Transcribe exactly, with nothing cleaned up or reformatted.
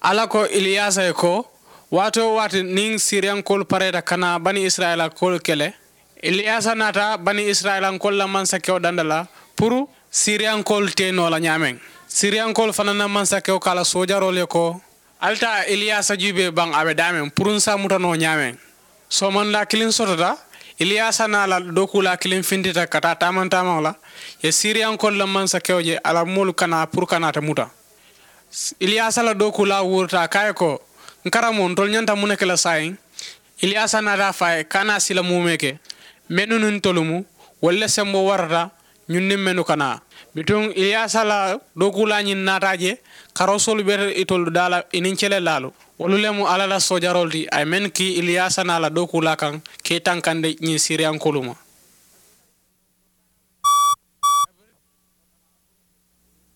Alla ko iliyaasa ye ko, waati-wo-waati niŋ siriyankoolu pareeta ka naa bani isirayila koolu kele, iliyaasa naata bani isirayilankoolu la mansakewo danda la puru siriyankoolu te noo la ñaameŋ. Siriyankoolu fanaa na mansakewo ko a la soojaroolu ye ko, ali taa iliyaasa juubee baŋ a be daameŋ puru n si a muta noo ñaameŋ. Soomandaa kiliŋ sotota, iliyaasa naa la dookuulaa kiliŋ fintita ka taa taamaŋ taamaŋo la, ye siriyankoolu la mansakewo je a la moolu ka naa puru ka naa te muta. Iliyaasa la dookuulaa wuurita a ko a ye ko, n karamoo ntolu ñanta muŋ ne ke la saayiŋ? Iliyaasa naata a fo a ye, kaana a si la muumee ke, mennu niŋ ntolu mu, wolu le semboo warata ñunniŋ mennu ka naa. Bituŋ iliyaasa la dookuulaa ñiŋ naata a je, karoosoolu be itolu daa la i niŋ celelaalu. Wolu le mu alla la soojaroolu ti a ye mennu kii iliyaasa naa la dookuulaa kaŋ ka i tankandi ñiŋ siriyankoolu ma.